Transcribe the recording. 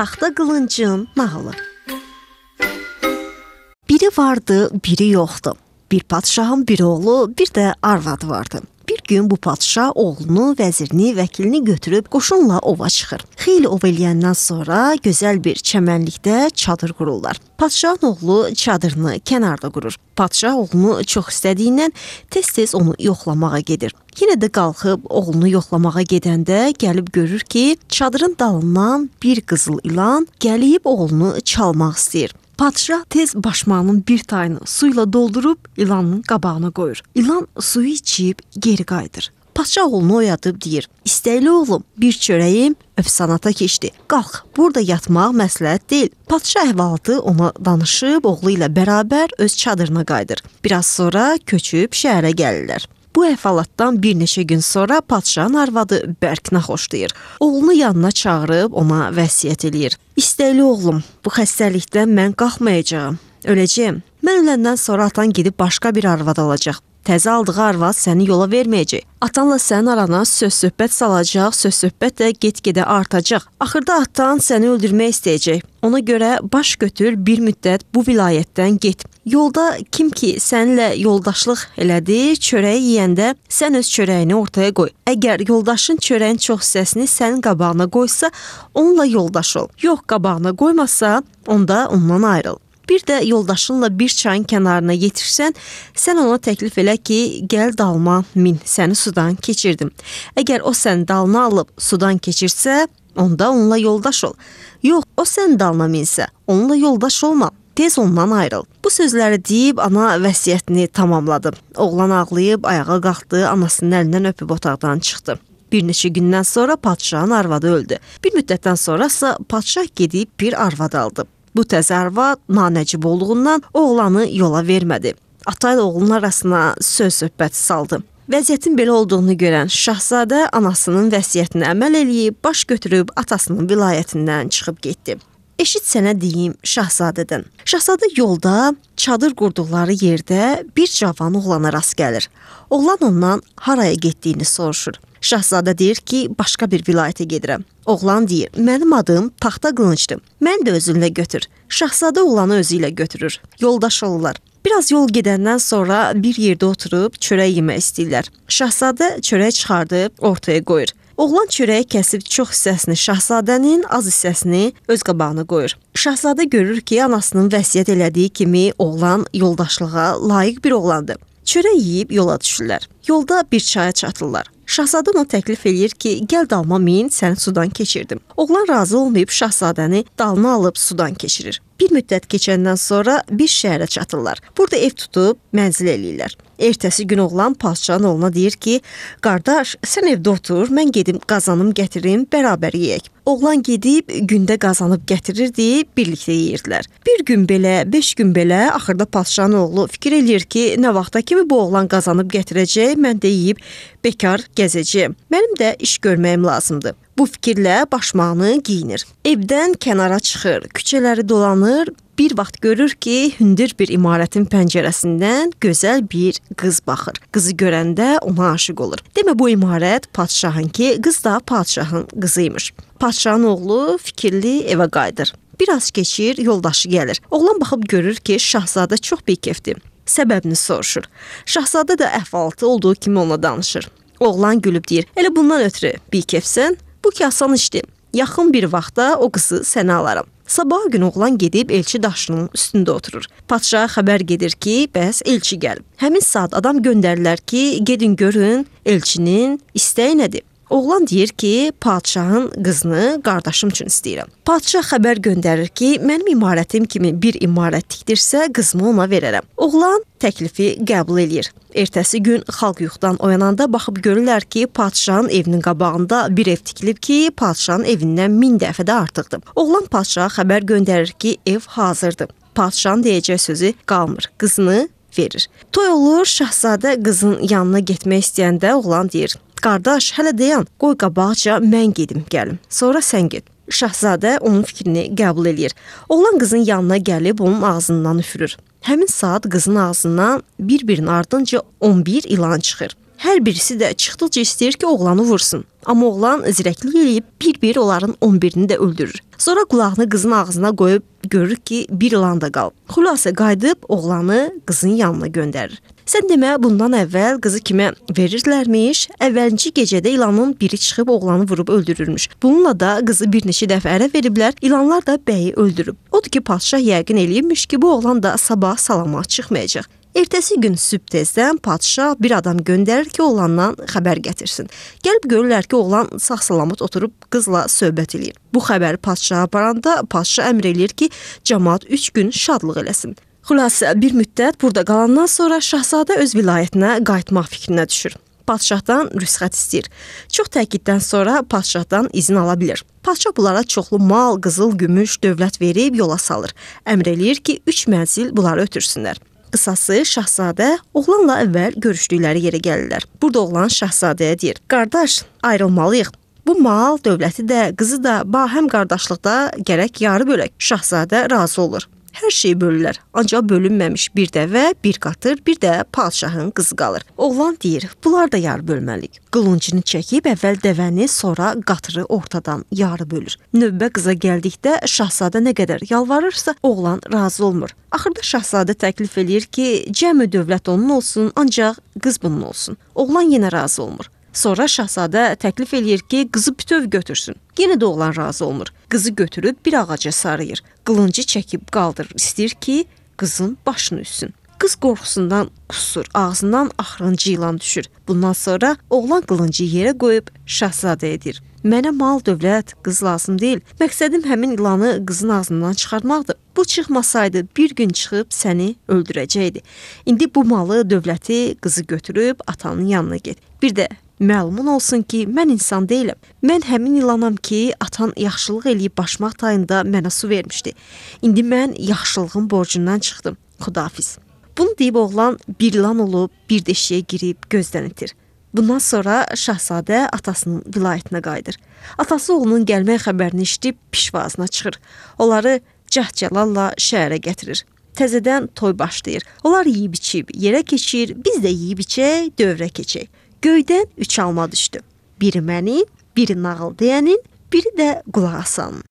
Taxta Qılıncın nağılı. Biri vardı, biri yoxdu. Bir padşahın bir oğlu, bir də arvadı vardı. Bir gün bu padşah oğlunu, vəzirini, vəkilini götürüb qoşunla ova çıxır. Xeyli ov eləyəndən sonra gözəl bir çəmənlikdə çadır qururlar. Padşahın oğlu çadırını kənarda qurur. Padşah oğlunu çox istədiyindən tez-tez onu yoxlamağa gedir. Yenə də qalxıb oğlunu yoxlamağa gedəndə gəlib görür ki, çadırın dalından bir qızıl ilan gəlib oğlunu çalmaq istəyir. Padşah tez başmağının bir tayını suyla doldurub ilanın qabağına qoyur. İlan suyu içib geri qayıdır. Padşah oğlunu oyadıb deyir, istəkli oğlum, bir çörəyim öfsanata keçdi. Qalx, burada yatmaq məsləhət deyil. Padşah əhvalatı ona danışıb, oğlu ilə bərabər öz çadırına qayıdır. Biraz sonra köçüb şəhərə gəlirlər. Bu əhvalatdan bir neçə gün sonra padşahın arvadı bərk naxoşlayır. Oğlunu yanına çağırıb ona vəsiyyət eləyir. İstəkli oğlum, bu xəstəlikdən mən qalxmayacağam, öləcəyəm. Mən öləndən sonra atan gedib başqa bir arvad alacaq. Təzə aldığı arvad səni yola verməyəcək. Atanla sənin arana söz-söhbət salacaq, söz-söhbət də get-gedə artacaq. Axırda atan səni öldürmək istəyəcək. Ona görə baş götür, bir müddət bu vilayətdən get. Yolda kim ki səninlə yoldaşlıq elədi, çörəyi yeyəndə sən öz çörəyini ortaya qoy. Əgər yoldaşın çörəyin çox hissəsini sənin qabağına qoysa, onunla yoldaş ol. Yox, qabağına qoymasa, onda ondan ayrıl. Bir də yoldaşınla bir çayın kənarına yetirsən, sən ona təklif elə ki, gəl dalma, min, səni sudan keçirdim. Əgər o səni dalına alıb sudan keçirsə, onda onunla yoldaş ol. Yox, o səni dalına minsə, onunla yoldaş olma, tez ondan ayrıl. Bu sözləri deyib ana vəsiyyətini tamamladı. Oğlan ağlayıb ayağa qalxdı, anasının əlindən öpüb otaqdan çıxdı. Bir neçə gündən sonra padşahın arvadı öldü. Bir müddətdən sonrasa padşah gedib bir arvad aldı. Bu təzə arvad nanəcib olduğundan oğlanı yola vermədi. Ata ilə oğlunun arasına söz-söhbət saldı. Vəziyyətin belə olduğunu görən şahzadə anasının vəsiyyətinə əməl eləyib, baş götürüb atasının vilayətindən çıxıb getdi. Eşit sənə deyim şahzadədən. Şahzadə yolda çadır qurduqları yerdə bir cavan oğlana rast gəlir. Oğlan ondan haraya getdiyini soruşur. Şahzadə deyir ki, başqa bir vilayətə gedirəm. Oğlan deyir, mənim adım Taxta Qılıncdır. Mən də özünlə götür. Şahzadə oğlanı özü ilə götürür. Yoldaş olurlar. Biraz yol gedəndən sonra bir yerdə oturub çörək yemək istəyirlər. Şahzadə çörək çıxardıb ortaya qoyur. Oğlan çörəyi kəsib çox hissəsini şahzadənin, az hissəsini öz qabağına qoyur. Şahzadə görür ki, anasının vəsiyyət elədiyi kimi oğlan yoldaşlığa layiq bir oğlandır. Çörək yeyib yola düşürlər. Yolda bir çaya çatırlar. Şahzadə ona təklif eləyir ki, gəl dalma min, səni sudan keçirdim. Oğlan razı olmayıb şahzadəni dalına alıb sudan keçirir. Bir müddət keçəndən sonra bir şəhərə çatırlar. Burada ev tutub mənzil eləyirlər. Ertəsi gün oğlan padşahın oğluna deyir ki, qardaş, sən evdə otur, mən gedim qazanım gətirim, bərabər yeyək. Oğlan gedib gündə qazanıb gətirirdi, birlikdə yeyirdilər. Bir gün belə, 5 gün belə, axırda padşahın oğlu fikir eləyir ki, nə vaxta kimi bu oğlan qazanıb gətirəcək, mən də yeyib bekar gəzəcəyəm. Mənim də iş görməyim lazımdır. Bu fikirlə başmağını giyinir. Evdən kənara çıxır, küçələri dolanır. Bir vaxt görür ki, hündür bir imarətin pəncərəsindən gözəl bir qız baxır. Qızı görəndə ona aşiq olur. Demə bu imarət padşahın ki, qız da padşahın qızıymış. Padşahın oğlu fikirli evə qayıdır. Biraz keçir, yoldaşı gəlir. Oğlan baxıb görür ki, şahzadə çox bikefdir. Səbəbini soruşur. Şahzadə də əhvalatı olduğu kimi ona danışır. Oğlan gülüb deyir, elə bundan ötürü bikefsən, bu ki asan işdir. Yaxın bir vaxtda o qızı sənə alaram. Sabah gün oğlan gedib elçi daşının üstündə oturur. Padşaha xəbər gedir ki, bəs elçi gəlib. Həmin saat adam göndərirlər ki, gedin görün elçinin istəyi nədir? Oğlan deyir ki, padşahın qızını qardaşım üçün istəyirəm. Padşah xəbər göndərir ki, mənim imarətim kimi bir imarət tikdirsə, qızımı ona verərəm. Oğlan təklifi qəbul eləyir. Ertəsi gün xalq yuxudan oyananda baxıb görürlər ki, padşahın evinin qabağında bir ev tikilib ki, padşahın evindən 1000 dəfə də artıqdır. Oğlan padşaha xəbər göndərir ki, ev hazırdır. Padşahın deyəcək sözü qalmır, qızını verir. Toy olur, şahzadə qızın yanına getmək istəyəndə oğlan deyir, qardaş, hələ dayan, qoy qabaqca mən gedim gəlim, sonra sən get. Şahzadə onun fikrini qəbul eləyir. Oğlan qızın yanına gəlib onun ağzından üfürür. Həmin saat qızın ağzından bir-birinin ardınca 11 ilan çıxır. Hər birisi də çıxdıqca istəyir ki, oğlanı vursun. Amma oğlan zirəklik eləyib bir-bir onların 11-ni də öldürür. Sonra qulağını qızın ağzına qoyub görür ki, bir ilan da qalıb. Xülasə qayıdıb oğlanı qızın yanına göndərir. Sən demə, bundan əvvəl qızı kimə verirlərmiş? Əvvəlki gecədə ilanın biri çıxıb oğlanı vurub öldürürmüş. Bununla da qızı bir neçə dəfə ərə veriblər, ilanlar da bəyi öldürüb. Odur ki, padşah yəqin eləyibmiş ki, bu oğlan da sabah salamat çıxmayacaq. Ertəsi gün sübh tezdən padşah bir adam göndərir ki, oğlandan xəbər gətirsin. Gəlib görürlər ki, oğlan sağ-salamat oturub qızla söhbət eləyir. Bu xəbəri padşaha aparanda padşah əmr eləyir ki, cəmaət 3 gün şadlıq eləsin. Xülasə, bir müddət burada qalandan sonra şahzadə öz vilayətinə qayıtmaq fikrinə düşür. Padşahdan rüsxət istəyir. Çox təkiddən sonra padşahdan izin ala bilir. Padşah bunlara çoxlu mal, qızıl, gümüş, dövlət verib yola salır. Əmr eləyir ki, 3 mənzil bunları ötürsünlər. Qısası, şahzadə oğlanla əvvəl görüşdükləri yerə gəlirlər. Burada oğlan şahzadəyə deyir: "Qardaş, ayrılmalıyıq. Bu mal, dövləti də, qızı da, həm qardaşlıqda gərək yarı bölək." Şahzadə razı olur. Hər şeyi bölürlər. Ancaq bölünməmiş bir dəvə, bir qatır, bir də padşahın qızı qalır. Oğlan deyir: "Bunlar da yarı bölməliyik." Qılıncını çəkib əvvəl dəvəni, sonra qatırı ortadan yarı bölür. Növbə qıza gəldikdə şahzadə nə qədər yalvarırsa, oğlan razı olmur. Axırda şahzadə təklif eləyir ki, cəmi dövlət onun olsun, ancaq qız bunun olsun. Oğlan yenə razı olmur. Sonra şahzadə təklif eləyir ki, qızı bütöv götürsün. Yenə də oğlan razı olmur. Qızı götürüb bir ağaca sarıyır. Qılıncı çəkib qaldırır. İstəyir ki, qızın başını üssün. Qız qorxusundan qusur, ağzından axırıncı ilan düşür. Bundan sonra oğlan qılıncı yerə qoyub şahzadəyə deyir: "Mənə mal, dövlət, qız lazım deyil. Məqsədim həmin ilanı qızın ağzından çıxarmaqdır. Bu çıxmasaydı bir gün çıxıb səni öldürəcəkdi. İndi bu malı, dövləti, qızı götürüb atanın yanına get. Bir də məlumun olsun ki, mən insan deyiləm. Mən həmin ilanam ki, atan yaxşılıq eləyib başmaq tayında mənə su vermişdi. İndi mən yaxşılığın borcundan çıxdım. Xudafiz." Bunu deyib oğlan bir ilan olub, bir deşiyə girib gözdən itir. Bundan sonra şahzadə atasının vilayətinə qayıdır. Atası oğlunun gəlmək xəbərini eşidib pişvazına çıxır. Onları cəhcəlalla şəhərə gətirir. Təzədən toy başlayır. Onlar yeyib içib yerə keçir, biz də yeyib içək, dövrə keçək. Göydən 3 alma düşdü. Biri mənim, biri nağıl deyənin, biri də qulaq asanın.